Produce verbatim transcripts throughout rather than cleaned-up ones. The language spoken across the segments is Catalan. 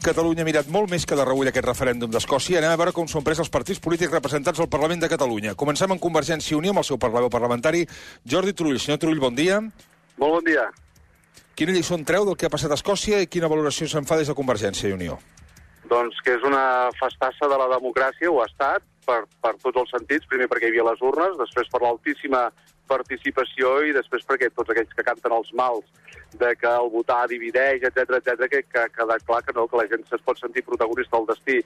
Catalunya ha mirat molt més que de reull aquest referèndum d'Escòcia. Anem a veure com són pres els partits polítics representats al Parlament de Catalunya. Comencem amb Convergència i Unió, amb el seu portaveu parlamentari, Jordi Turull. Senyor Turull, bon dia. Molt bon dia. Quina lliçó en treu del que ha passat a Escòcia i quina valoració se'n fa des de Convergència i Unió? Doncs que és una festassa de la democràcia, ho ha estat, per, per tots els sentits. Primer perquè hi havia les urnes, després per l'altíssima participació i després perquè tots aquells que canten els mals de que el votar divideix, etcètera, etcètera, que, que ha quedat clar que no, que la gent es pot sentir protagonista del destí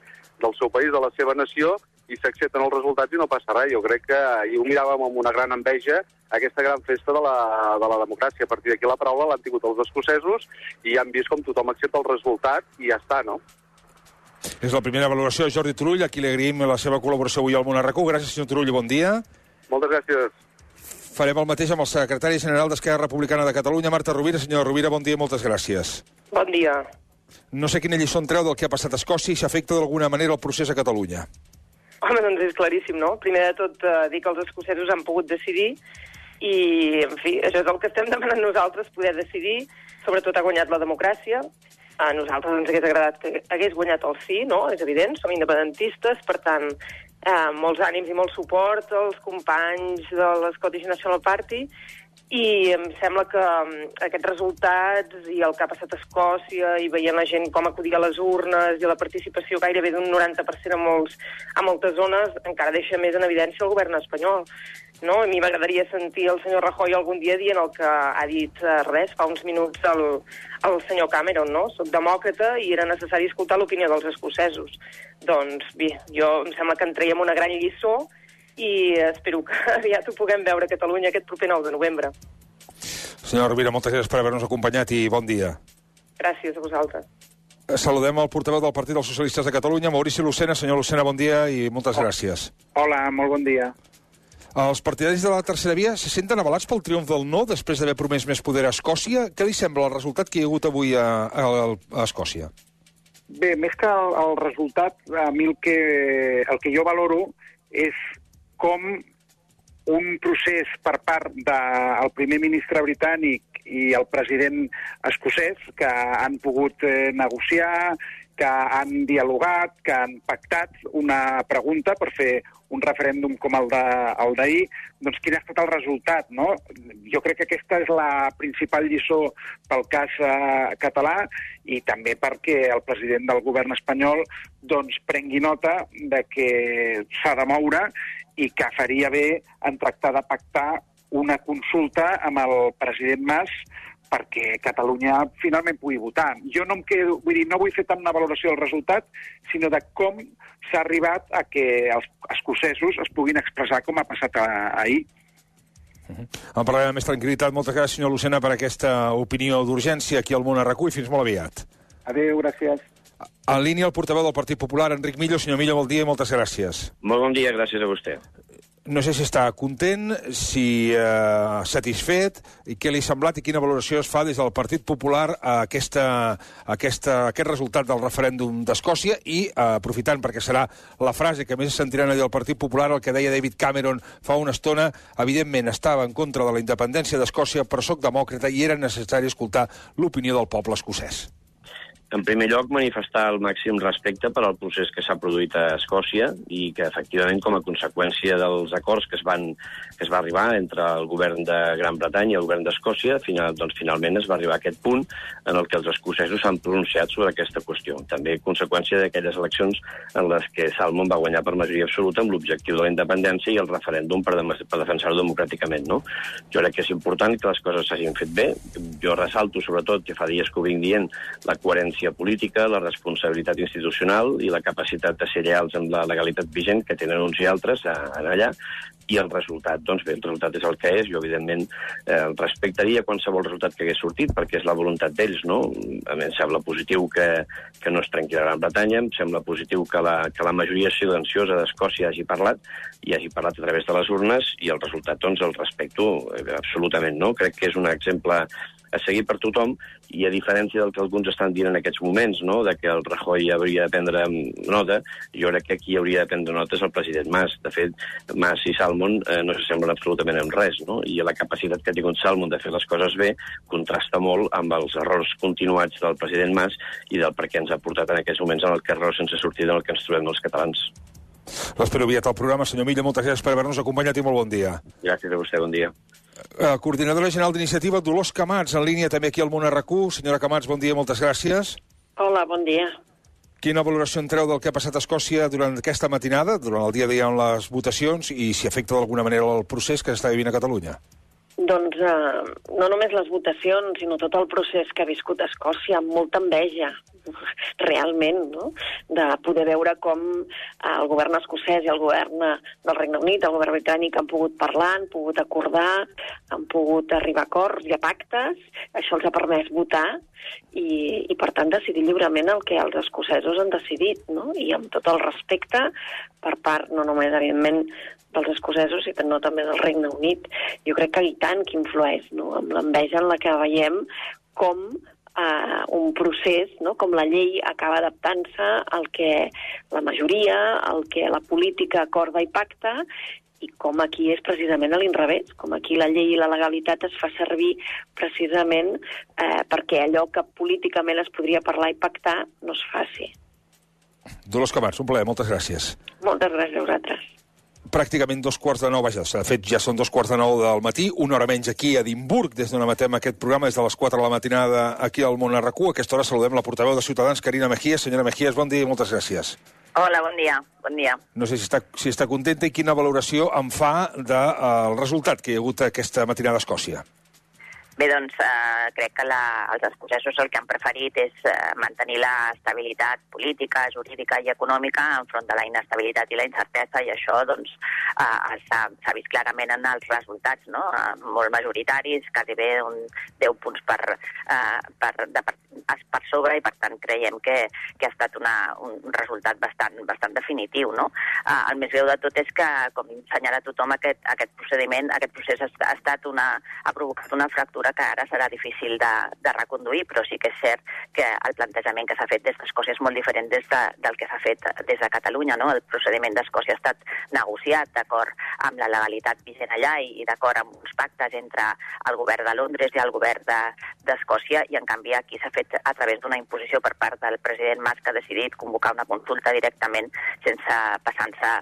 del seu país, de la seva nació, i s'accepten els resultats i no passa res. Jo crec que ahir ho miràvem amb una gran enveja, aquesta gran festa de la, de la democràcia. A partir d'aquí la paraula l'han tingut els escocesos i han vist com tothom accepta el resultat i ja està, no? És la primera valoració de Jordi Turull, a qui li agraïm la seva col·laboració avui al Món RAC u. Gràcies, senyor Turull, bon dia. Moltes gràcies. Farem el mateix amb el secretari general d'Esquerra Republicana de Catalunya, Marta Rovira. Senyora Rovira, bon dia i moltes gràcies. Bon dia. No sé quina lliçó en treu del que ha passat a Escòcia i s'afecta d'alguna manera el procés a Catalunya. Home, doncs és claríssim, no? Primer de tot, eh, dir que els escocesos han pogut decidir i, en fi, això és el que estem demanant nosaltres, poder decidir. Sobretot ha guanyat la democràcia. A nosaltres ens hagués agradat que hagués guanyat el sí, no? És evident, som independentistes, per tant, eh, molts ànims i molt suport als companys de l'Scottish National Party, i em sembla que aquests resultats i el que ha passat a Escòcia i veient la gent com acudia a les urnes i la participació gairebé d'un noranta per cent a, molts, a moltes zones encara deixa més en evidència el govern espanyol. No? A mi m'agradaria sentir el senyor Rajoy algun dia dient el que ha dit eh, res fa uns minuts el, el senyor Cameron, no? Soc demòcrata i era necessari escoltar l'opinió dels escocesos. Doncs bé, jo em sembla que en traiem una gran lliçó i espero que aviat ho puguem veure a Catalunya aquest proper nou de novembre. Senyora Rovira, moltes gràcies per haver-nos acompanyat i bon dia. Gràcies a vosaltres. Saludem el portaveu del Partit dels Socialistes de Catalunya, Maurici Lucena. Senyor Lucena, bon dia i moltes gràcies. Hola, molt bon dia. Els partidaris de la tercera via se senten avalats pel triomf del no després d'haver promès més poder a Escòcia. Què li sembla el resultat que hi ha hagut avui a, a, a Escòcia? Bé, més que el, el resultat, a mi el que, el que jo valoro és com un procés per part del primer ministre britànic i el president escocès que han pogut eh, negociar, que han dialogat, que han pactat una pregunta per fer un referèndum com el d'ahir, doncs quin ha estat el resultat, no? Jo crec que aquesta és la principal lliçó pel cas eh, català i també perquè el president del govern espanyol doncs prengui nota de que s'ha de moure i que faria bé en tractar de pactar una consulta amb el president Mas perquè Catalunya finalment pugui votar. Jo no em quedo, vull dir, no vull fer tant una valoració del resultat, sinó de com s'ha arribat a que els escocesos es puguin expressar com ha passat ahir. Uh-huh. En parlarem amb més tranquil·litat. Moltes gràcies, senyor Lucena, per aquesta opinió d'urgència aquí al Món RAC u i fins molt aviat. Adéu, gràcies. En línia el portaveu del Partit Popular, Enric Millo. Senyor Millo, bon dia i moltes gràcies. Molt bon dia, gràcies a vostè. No sé si està content, si eh, satisfet, i què li ha semblat i quina valoració es fa des del Partit Popular a, aquesta, a aquesta, a aquest resultat del referèndum d'Escòcia i, eh, aprofitant perquè serà la frase que més sentiran a dir el Partit Popular, el que deia David Cameron fa una estona, evidentment estava en contra de la independència d'Escòcia, però sóc demòcrata i era necessari escoltar l'opinió del poble escocès. En primer lloc, manifestar el màxim respecte per al procés que s'ha produït a Escòcia i que, efectivament, com a conseqüència dels acords que es van que es va arribar entre el govern de Gran Bretanya i el govern d'Escòcia, final, doncs, finalment es va arribar a aquest punt en el que els escocesos s'han pronunciat sobre aquesta qüestió. També conseqüència d'aquelles eleccions en les que Salmond va guanyar per majoria absoluta amb l'objectiu de la independència i el referèndum per, de per defensar-ho democràticament, no? Jo crec que és important que les coses s'hagin fet bé. Jo ressalto, sobretot, que fa dies que ho vinc dient, la coherència política, la responsabilitat institucional i la capacitat de ser lleials amb la legalitat vigent que tenen uns i altres allà, i el resultat, doncs bé, el resultat és el que és. Jo, evidentment, eh, respectaria qualsevol resultat que hagués sortit, perquè és la voluntat d'ells, no? A mi em sembla positiu que, que no es trenqui la Gran Bretanya, em sembla positiu que la, que la majoria silenciosa d'Escòcia hagi parlat, i hagi parlat a través de les urnes, i el resultat, doncs, el respecto eh, absolutament, no? Crec que és un exemple a seguir per tothom, i a diferència del que alguns estan dient en aquests moments, no?, de que el Rajoy hauria de prendre nota, jo crec que aquí hauria de prendre nota és el president Mas. De fet, Mas i Salmond eh, no s'assemblen absolutament en res, no?, i la capacitat que ha tingut Salmond de fer les coses bé contrasta molt amb els errors continuats del president Mas i del per què ens ha portat en aquests moments en el carrer sense sortida en el que ens trobem els catalans. L'espero aviat al programa. Senyor Milla, moltes gràcies per haver-nos acompanyat i molt bon dia. Gràcies a vostè, bon dia. Uh, coordinadora general d'iniciativa, Dolors Camats, en línia també aquí al Món R Q. Senyora Camats, bon dia, moltes gràcies. Hola, bon dia. Quina valoració en treu del que ha passat a Escòcia durant aquesta matinada, durant el dia d'ahir amb les votacions, i si afecta d'alguna manera el procés que s'està vivint a Catalunya? Doncs eh, no només les votacions, sinó tot el procés que ha viscut Escòcia, amb molta enveja, realment, no?, de poder veure com el govern escocès i el govern del Regne Unit, el govern britànic, han pogut parlar, han pogut acordar, han pogut arribar a acords i a pactes. Això els ha permès votar i, i per tant, decidir lliurement el que els escocesos han decidit, no?, i amb tot el respecte per part, no només, evidentment, dels escocesos, sinó també del Regne Unit. Jo crec que i tant que influeix, no?, amb l'enveja en la que veiem com Uh, un procés, no?, com la llei acaba adaptant-se al que la majoria, al que la política acorda i pacta, i com aquí és precisament a l'inrevés, com aquí la llei i la legalitat es fa servir precisament eh, perquè allò que políticament es podria parlar i pactar no es faci. Dolors Camats, un plaer, moltes gràcies. Moltes gràcies a vosaltres. Pràcticament dos quarts de nou, vaja, de fet ja són dos quarts de nou del matí, una hora menys aquí a Edimburg, des d'on emetem aquest programa, des de les quatre de la matinada aquí al Món R Q. A aquesta hora saludem la portaveu de Ciutadans, Carina Mejías. Senyora Mejías, bon dia i moltes gràcies. Hola, bon dia. Bon dia. No sé si està, si està contenta i quina valoració en fa del uh, resultat que hi ha hagut aquesta matinada a Escòcia. Bé, doncs, eh, crec que la, els escocesos el que han preferit és eh, mantenir la estabilitat política, jurídica i econòmica enfront de la inestabilitat i la incertesa, i això doncs, eh, s'ha vist clarament en els resultats, no?, eh, molt majoritaris, gairebé un deu punts per, eh, per, de, per, per sobre, i per tant creiem que, que ha estat una, un resultat bastant, bastant definitiu, no? Eh, el més greu de tot és que, com senyala tothom, aquest, aquest procediment, aquest procés ha, ha, estat una, ha provocat una fractura que ara serà difícil de, de reconduir, però sí que és cert que el plantejament que s'ha fet des d'Escòcia és molt diferent des de, del que s'ha fet des de Catalunya, no? El procediment d'Escòcia ha estat negociat d'acord amb la legalitat vigent allà i, i d'acord amb uns pactes entre el govern de Londres i el govern d'Escòcia, de, i en canvi aquí s'ha fet a través d'una imposició per part del president Mas, que ha decidit convocar una consulta directament sense passant-se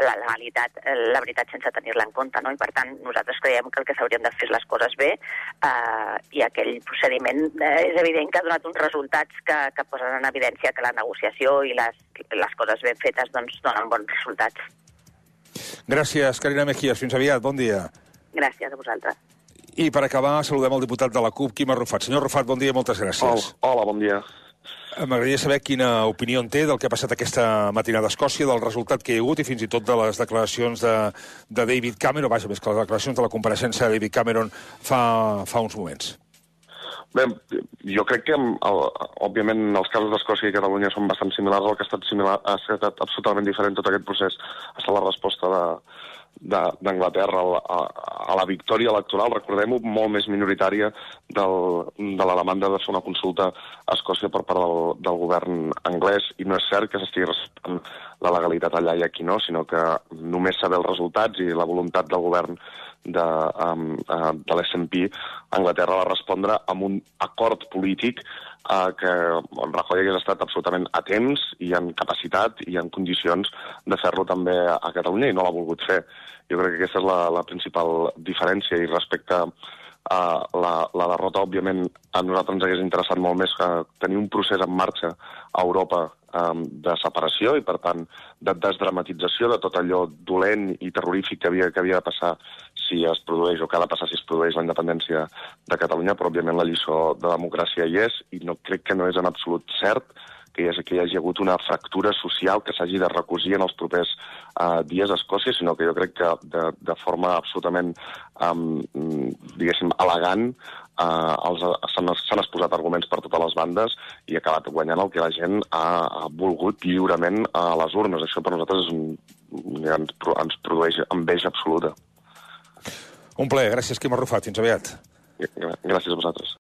la legalitat, la veritat sense tenir-la en compte, no? I per tant nosaltres creiem que el que s'haurien de fer és les coses bé, eh, Uh, i aquell procediment uh, és evident que ha donat uns resultats que, que posen en evidència que la negociació i les, les coses ben fetes doncs, donen bons resultats. Gràcies, Carina Mejías. Fins aviat. Bon dia. Gràcies a vosaltres. I per acabar, saludem el diputat de la CUP, Quim Arrufat. Senyor Arrufat, bon dia i moltes gràcies. Hola, hola, bon dia. M'agradaria saber quina opinió en té del que ha passat aquesta matinada a Escòcia, del resultat que hi ha hagut i fins i tot de les declaracions de, de David Cameron, vaja, més que les declaracions de la compareixença de David Cameron fa, fa uns moments. Bé, jo crec que, el, òbviament, els casos d'Escòcia i Catalunya són bastant similars. El que ha estat, similar, ha estat absolutament diferent tot aquest procés ha estat la resposta de d'Anglaterra a, a, a la victòria electoral, recordem-ho, molt més minoritària del, de la demanda de fer una consulta a Escòcia per part del, del govern anglès, i no és cert que s'estigui respectant la legalitat allà i aquí no, sinó que només saber els resultats i la voluntat del govern de, um, uh, de l'S and P, Anglaterra va respondre amb un acord polític Uh, que Rajoy hagués estat absolutament a temps i en capacitat i en condicions de fer-lo també a Catalunya, i no l'ha volgut fer. Jo crec que aquesta és la, la principal diferència, i respecte a uh, la, la derrota, òbviament, a nosaltres ens hagués interessat molt més que tenir un procés en marxa a Europa um, de separació i, per tant, de desdramatització de tot allò dolent i terrorífic que havia, que havia de passar si es produeix, o que ha de passar si es produeix la independència de Catalunya, però òbviament la lliçó de democràcia hi és, i no crec que no és en absolut cert que hi hagi, que hi hagi hagut una fractura social que s'hagi de recosir en els propers uh, dies a Escòcia, sinó que jo crec que de, de forma absolutament, um, diguéssim, elegant, uh, s'han exposat arguments per totes les bandes i ha acabat guanyant el que la gent ha, ha volgut lliurement a les urnes. Això per nosaltres és un, ens, ens produeix enveja absoluta. Un plaer. Gràcies, Quim Arrufat. Fins aviat. Gràcies a vosaltres.